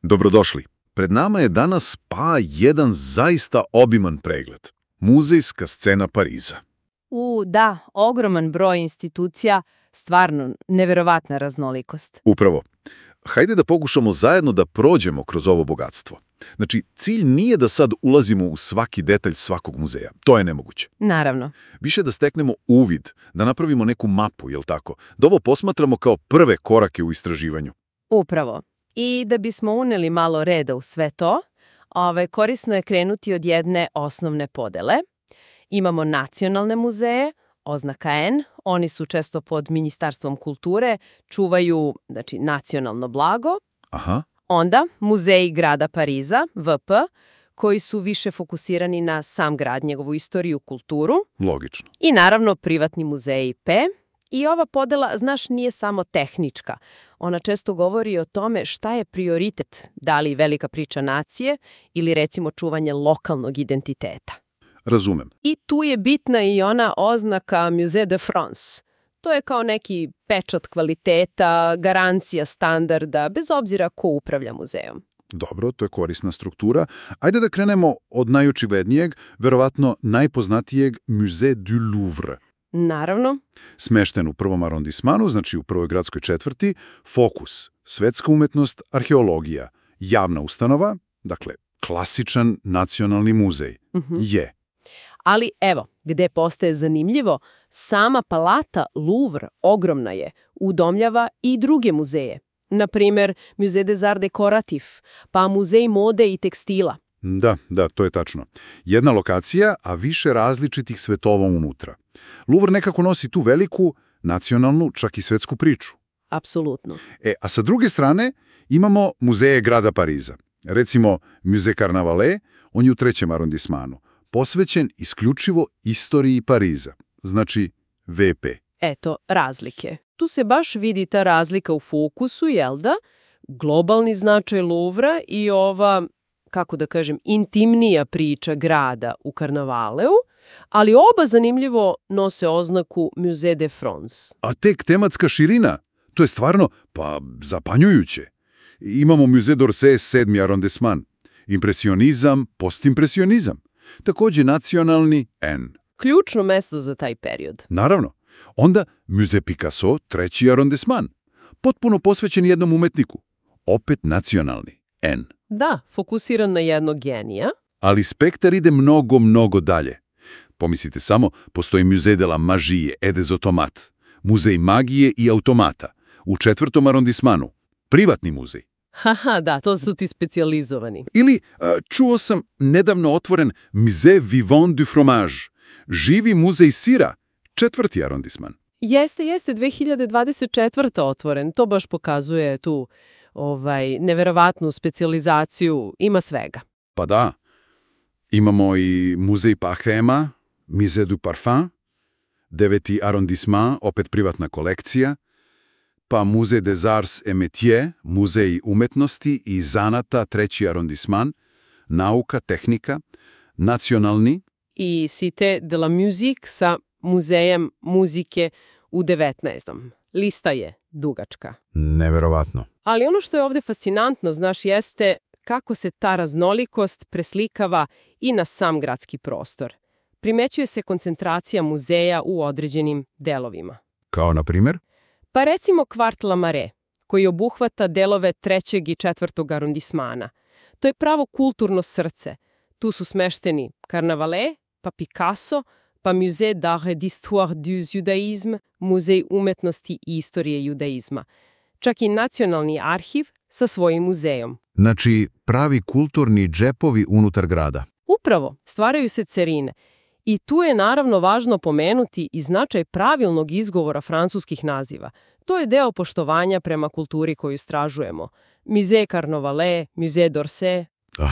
Dobrodošli. Pred nama je danas jedan zaista obiman pregled. Muzejska scena Pariza. Da, ogroman broj institucija, stvarno neverovatna raznolikost. Upravo. Hajde da pokušamo zajedno da prođemo kroz ovo bogatstvo. Znači, cilj nije da sad ulazimo u svaki detalj svakog muzeja. To je nemoguće. Naravno. Više da steknemo uvid, da napravimo neku mapu, jel tako? Da ovo posmatramo kao prve korake u istraživanju. Upravo. I da bismo uneli malo reda u sve to, korisno je krenuti od jedne osnovne podele. Imamo nacionalne muzeje, oznaka N, oni su često pod Ministarstvom kulture, čuvaju nacionalno blago. Aha. Onda muzeji grada Pariza, VP, koji su više fokusirani na sam grad, njegovu istoriju, kulturu. Logično. I naravno privatni muzeji P. I ova podela, znaš, nije samo tehnička. Ona često govori o tome šta je prioritet, da li velika priča nacije ili recimo čuvanje lokalnog identiteta. Razumem. I tu je bitna i ona oznaka Musée de France. To je kao neki pečat kvaliteta, garancija standarda, bez obzira ko upravlja muzejom. Dobro, to je korisna struktura. Ajde da krenemo od najočiglednijeg, verovatno najpoznatijeg Musée du Louvre. Naravno. Smešten u prvom arondismanu, znači u prvoj gradskoj četvrti, fokus, svetska umetnost, arheologija, javna ustanova, dakle, klasičan nacionalni muzej. Je. Ali evo, gde postaje zanimljivo, sama palata Louvre ogromna je, udomljava i druge muzeje. Naprimer, Musée des Arts Décoratifs, pa muzej mode i tekstila. Da, to je tačno. Jedna lokacija, a više različitih svetova unutra. Louvre nekako nosi tu veliku, nacionalnu, čak i svetsku priču. Apsolutno. A sa druge strane imamo muzeje grada Pariza. Recimo, Musée Carnavalet, on je u trećem arondismanu, posvećen isključivo istoriji Pariza, znači VP. Eto, razlike. Tu se baš vidi ta razlika u fokusu, jel da? Globalni značaj Louvra i ova, kako da kažem, intimnija priča grada u Karnavaleu, ali oba zanimljivo nose oznaku Musée de France. A tek tematska širina, to je stvarno, zapanjujuće. Imamo Musée d'Orsay, 7. arondisman. Impresionizam, postimpresionizam. Također nacionalni N. Ključno mesto za taj period. Naravno. Onda Musée Picasso, 3. arondisman. Potpuno posvećen jednom umetniku. Opet nacionalni N. Da, fokusiran na jednog genija. Ali spektar ide mnogo dalje. Pomislite samo, postoji Musée de la Magie et des Automates, muzej magije i automata, u 4. arondismanu, privatni muzej. Haha, da, to su ti specijalizovani. Ili, čuo sam, nedavno otvoren Musée Vivant du Fromage, živi muzej sira, 4. arondisman. Jeste, 2024. otvoren, to baš pokazuje tu neverovatnu specijalizaciju, ima svega. Pa da, imamo i muzej Parfema, Musée du Parfum, 9. arondisman, opet privatna kolekcija, pa Musée des Arts et Métiers, muzej umetnosti i zanata, 3. arondisman, nauka, tehnika, nacionalni. I Cité de la Musique sa muzejem muzike u 19. Lista je dugačka. Neverovatno. Ali ono što je ovdje fascinantno, znaš, jeste kako se ta raznolikost preslikava i na sam gradski prostor. Primećuje se koncentracija muzeja u određenim delovima. Kao na primjer? Pa recimo kvart La Marais, koji obuhvata delove 3. i 4. arondismana. To je pravo kulturno srce. Tu su smešteni Carnavalet, pa Picasso, pa Musée d'Art et d'Histoire du Judaïsme, muzej umetnosti i istorije judaizma. Čak i nacionalni arhiv sa svojim muzejom. Znači, pravi kulturni džepovi unutar grada. Upravo, stvaraju se cerine. I tu je naravno važno pomenuti i značaj pravilnog izgovora francuskih naziva. To je deo poštovanja prema kulturi koju istražujemo. Musée Carnavalet, Musée d'Orsay.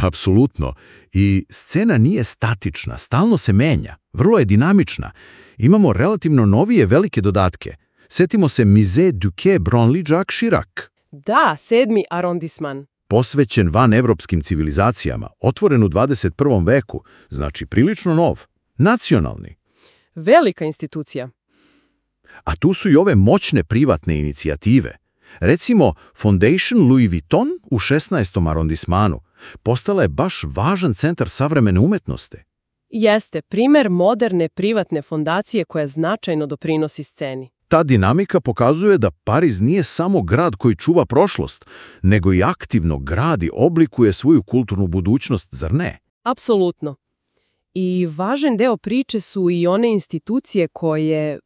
Apsolutno. I scena nije statična, stalno se menja, vrlo je dinamična. Imamo relativno novije velike dodatke. Setimo se Musée du Quai Branly-Jacques Chirac. Da, 7. arondisman. Posvećen vanevropskim civilizacijama, otvoren u 21. veku, znači prilično nov, nacionalni. Velika institucija. A tu su i ove moćne privatne inicijative. Recimo, Fondation Louis Vuitton u 16. arondismanu postala je baš važan centar savremene umetnosti. Jeste primer moderne privatne fondacije koja značajno doprinosi sceni. Ta dinamika pokazuje da Pariz nije samo grad koji čuva prošlost, nego i aktivno gradi, oblikuje svoju kulturnu budućnost, zar ne? Apsolutno. I važan deo priče su i one institucije koje,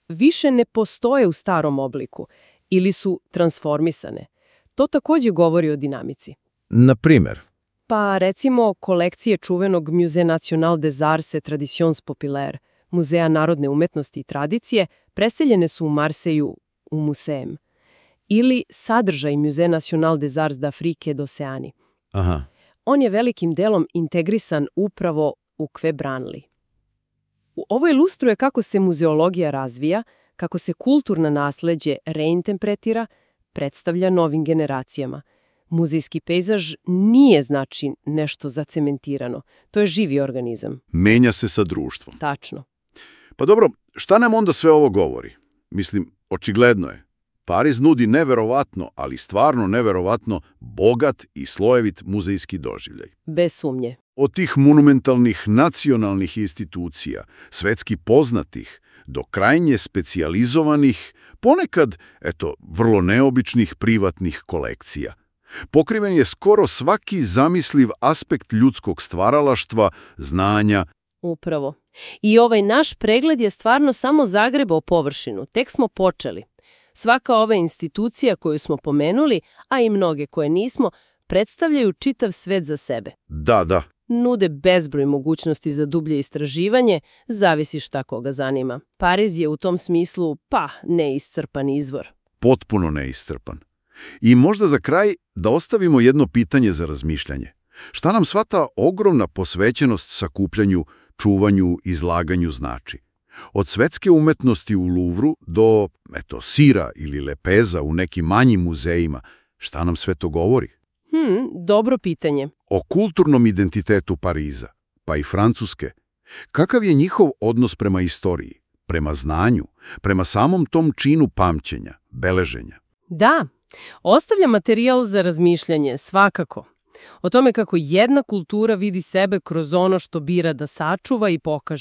više ne postoje u starom obliku ili su transformisane. To također govori o dinamici. Na primjer? Pa recimo kolekcije čuvenog Musée National des Arts et Traditions Populaires, Muzeja narodne umetnosti i tradicije, preseljene su u Marseju u Museum. Ili sadržaj Musée National des Arts d'Afrique d'Oceanie. Aha. On je velikim delom integrisan upravo u Quai Branly. Ovo ilustruje kako se muzeologija razvija, kako se kulturno nasleđe reinterpretira, predstavlja novim generacijama. Muzejski pejzaž nije znači nešto zacementirano. To je živi organizam. Menja se sa društvom. Tačno. Pa dobro, šta nam onda sve ovo govori? Mislim, očigledno je. Pariz nudi neverovatno, ali stvarno neverovatno, bogat i slojevit muzejski doživljaj. Bez sumnje. Od tih monumentalnih nacionalnih institucija, svetski poznatih, do krajnje specijalizovanih, ponekad, vrlo neobičnih privatnih kolekcija. Pokriven je skoro svaki zamisliv aspekt ljudskog stvaralaštva, znanja. Upravo. I ovaj naš pregled je stvarno samo zagrebao površinu. Tek smo počeli. Svaka ova institucija koju smo pomenuli, a i mnoge koje nismo, predstavljaju čitav svet za sebe. Da. Nude bezbroj mogućnosti za dublje istraživanje, zavisi šta koga zanima. Pariz je u tom smislu, neiscrpan izvor. Potpuno neiscrpan. I možda za kraj da ostavimo jedno pitanje za razmišljanje. Šta nam sva ta ogromna posvećenost sakupljanju, čuvanju, izlaganju znači? Od svetske umetnosti u Louvru do, sira ili lepeza u nekim manjim muzejima, šta nam sve to govori? Dobro pitanje. O kulturnom identitetu Pariza, pa i Francuske. Kakav je njihov odnos prema istoriji, prema znanju, prema samom tom činu pamćenja, beleženja? Da, ostavlja materijal za razmišljanje, svakako. O tome kako jedna kultura vidi sebe kroz ono što bira da sačuva i pokaže.